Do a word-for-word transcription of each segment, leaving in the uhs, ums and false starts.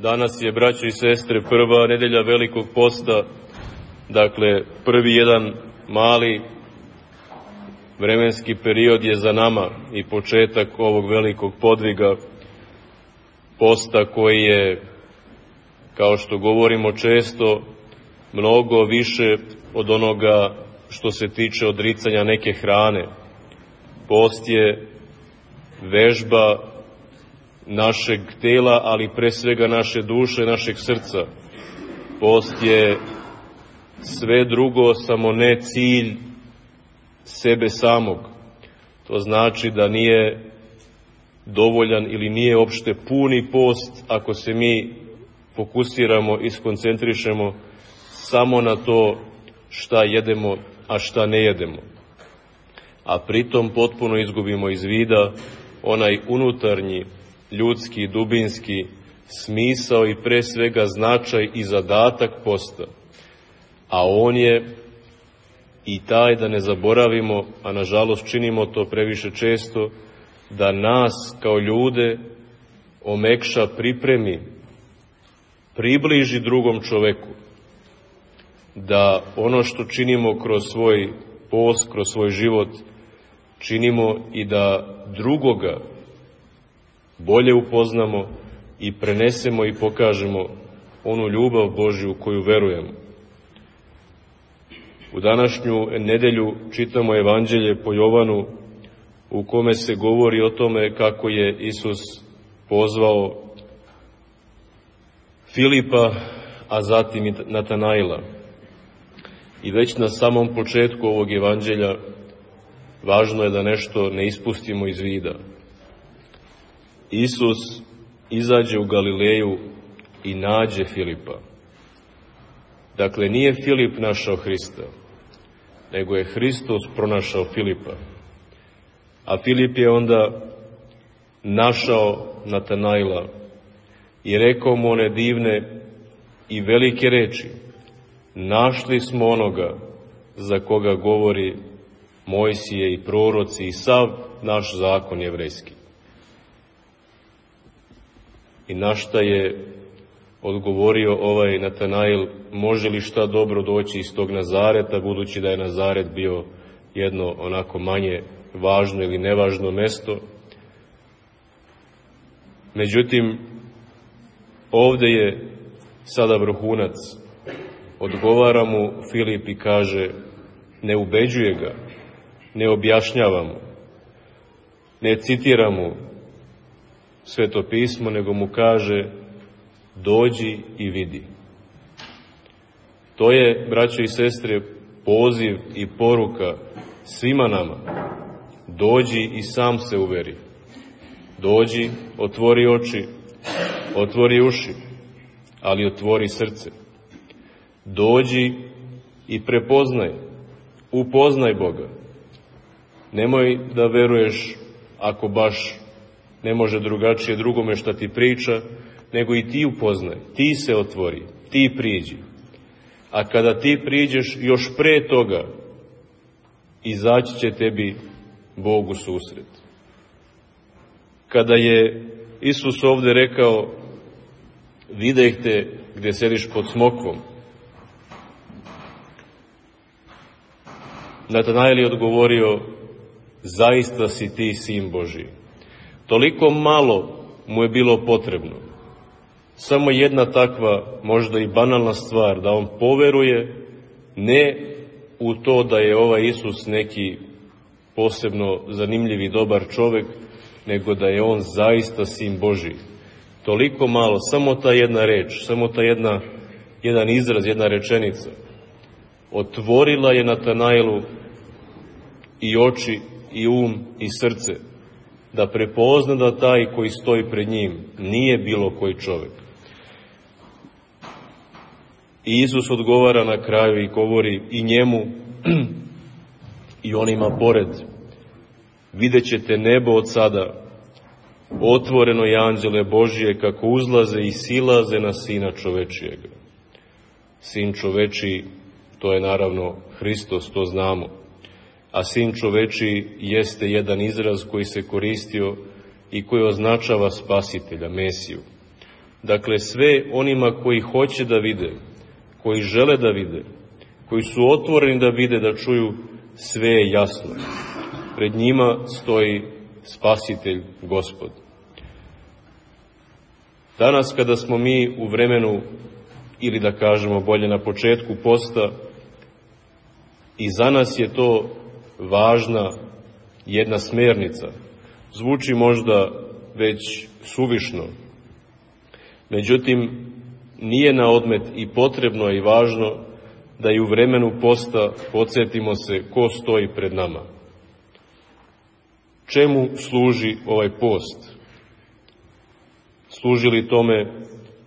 Danas je, braćo i sestre, prva nedelja Velikog posta, dakle, prvi jedan mali vremenski period je za nama i početak ovog velikog podviga posta koji je, kao što govorimo često, mnogo više od onoga što se tiče odricanja neke hrane. Post je vežba našeg tela, ali pre svega naše duše, našeg srca. Post je sve drugo, samo ne cilj sebe samog. To znači da nije dovoljan ili nije opšte puni post ako se mi fokusiramo i skoncentrišemo samo na to šta jedemo, a šta ne jedemo. A pritom potpuno izgubimo iz vida onaj unutarnji, ljudski, dubinski smisao i pre svega značaj i zadatak posta. A on je i taj, da ne zaboravimo, a nažalost činimo to previše često, da nas kao ljude omekša, pripremi, približi drugom čoveku. Da ono što činimo kroz svoj post, kroz svoj život, činimo i da drugoga bolje upoznamo i prenesemo i pokažemo onu ljubav Božju u koju verujemo. U današnju nedelju čitamo Evanđelje po Jovanu, u kome se govori o tome kako je Isus pozvao Filipa, a zatim i Natanaila. I već na samom početku ovog Evanđelja važno je da nešto ne ispustimo iz vida. Isus izađe u Galileju i nađe Filipa. Dakle, nije Filip našao Hrista, nego je Hristos pronašao Filipa. A Filip je onda našao Natanaila i rekao mu one divne i velike reči: našli smo onoga za koga govori Mojsije i proroci i sav naš zakon jevrejski. I na šta je odgovorio ovaj Natanail: može li šta dobro doći iz tog Nazareta, budući da je Nazaret bio jedno onako manje važno ili nevažno mesto. Međutim, ovde je sada vrhunac. Odgovara mu Filip i kaže, ne ubeđuje ga, ne objašnjava mu, ne citira mu Sveto pismo, nego mu kaže, dođi i vidi. To je, braćo i sestre, poziv i poruka svima nama. Dođi i sam se uveri. Dođi, otvori oči, otvori uši, ali otvori srce. Dođi i prepoznaj, upoznaj Boga. Nemoj da veruješ, ako baš ne može drugačije drugome šta ti priča, nego i ti upoznaj, ti se otvori, ti priđi. A kada ti priđeš, još pre toga, izaći će tebi Bog u susret. Kada je Isus ovde rekao, videh te gde sediš pod smokvom, Natanail je odgovorio, zaista si ti sin Božji. Toliko malo mu je bilo potrebno. Samo jedna takva, možda i banalna stvar, da on poveruje ne u to da je ovaj Isus neki posebno zanimljiv i dobar čovek, nego da je on zaista sin Božji. Toliko malo, samo ta jedna reč, samo ta jedna, jedan izraz, jedna rečenica, otvorila je Natanailu i oči, i um, i srce, da prepozna da taj koji stoji pred njim nije bilo koji čovek. I Isus odgovara na kraju i govori i njemu i onima pored, vidjet ćete nebo od sada, otvoreno i anđele Božije kako uzlaze i silaze na Sina čovečijega. Sin čovečiji, to je naravno Hristos, to znamo. A sin čovečiji jeste jedan izraz koji se koristio i koji označava spasitelja, Mesiju. Dakle, sve onima koji hoće da vide, koji žele da vide, koji su otvoreni da vide, da čuju, sve je jasno. Pred njima stoji Spasitelj, Gospod. Danas kada smo mi u vremenu, ili da kažemo bolje na početku posta, i za nas je to važna jedna smernica. Zvuči možda već suvišno, međutim, nije na odmet i potrebno i važno da i u vremenu posta podsjetimo se ko stoji pred nama. Čemu služi ovaj post? Služi li tome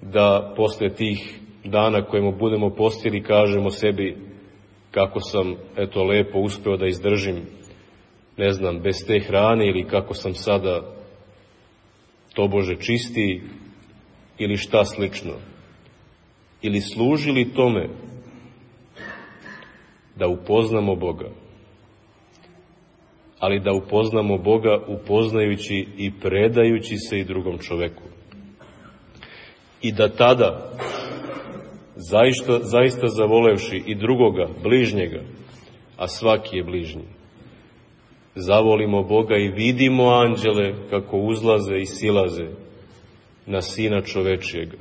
da posle tih dana kojemu budemo postili kažemo sebi kako sam, eto, lepo uspeo da izdržim, ne znam, bez te hrane, ili kako sam sada tobože čistiji, ili šta slično? Ili služi li tome da upoznamo Boga? Ali da upoznamo Boga upoznajući i predajući se i drugom čoveku. I da tada, zaista, zaista zavolevši i drugoga, bližnjega, a svaki je bližnji, zavolimo Boga i vidimo anđele kako uzlaze i silaze na Sina čovečijega.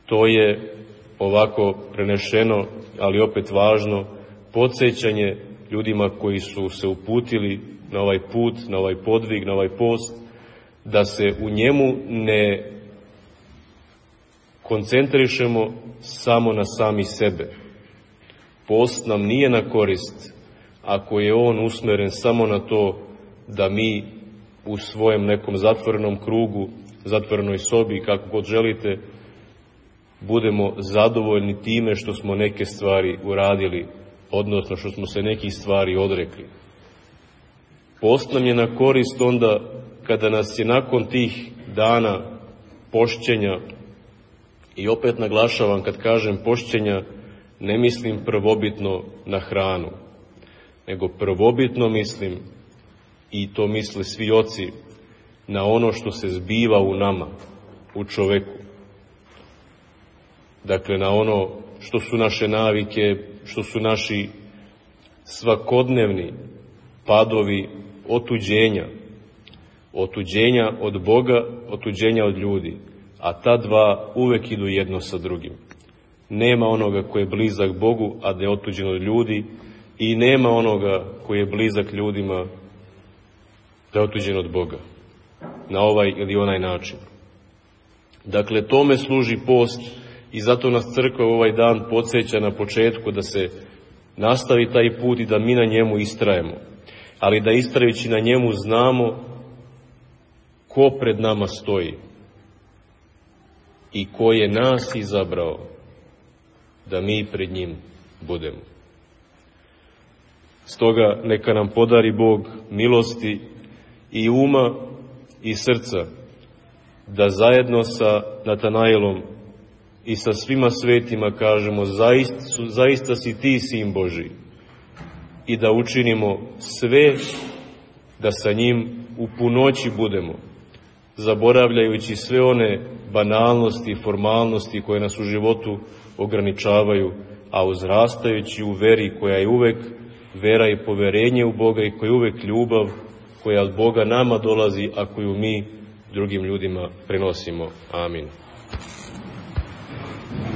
To je, ovako prenešeno, ali opet važno, podsjećanje ljudima koji su se uputili na ovaj put, na ovaj podvig, na ovaj post, da se u njemu ne koncentrišemo samo na sami sebe. Post nam nije na korist ako je on usmeren samo na to da mi u svojem nekom zatvorenom krugu, zatvorenoj sobi, kako god želite, budemo zadovoljni time što smo neke stvari uradili, odnosno što smo se nekih stvari odrekli. Post nam je na korist onda kada nas je nakon tih dana pošćenja, i opet naglašavam, kad kažem pošćenja, ne mislim prvobitno na hranu, nego prvobitno mislim, i to misle svi oci, na ono što se zbiva u nama, u čoveku. Dakle, na ono što su naše navike, što su naši svakodnevni padovi otuđenja, otuđenja od Boga, otuđenja od ljudi, a ta dva uvek idu jedno sa drugim. Nema onoga koji je blizak Bogu, a da je otuđen od ljudi, i nema onoga koji je blizak ljudima, da je otuđen od Boga, na ovaj ili onaj način. Dakle, tome služi post, i zato nas crkva ovaj dan podsjeća na početku da se nastavi taj put i da mi na njemu istrajemo, ali da istrajući na njemu znamo ko pred nama stoji i ko je nas izabrao da mi pred njim budemo. Stoga neka nam podari Bog milosti i uma i srca da zajedno sa Natanaelom i sa svima svetima kažemo zaista, zaista si ti Sin Božiji, i da učinimo sve da sa njim u punoći budemo, zaboravljajući sve one banalnosti i formalnosti koje nas u životu ograničavaju, a uzrastajući u veri koja je uvek vera i poverenje u Boga i koja je uvek ljubav koja od Boga nama dolazi, a koju mi drugim ljudima prenosimo. Amin.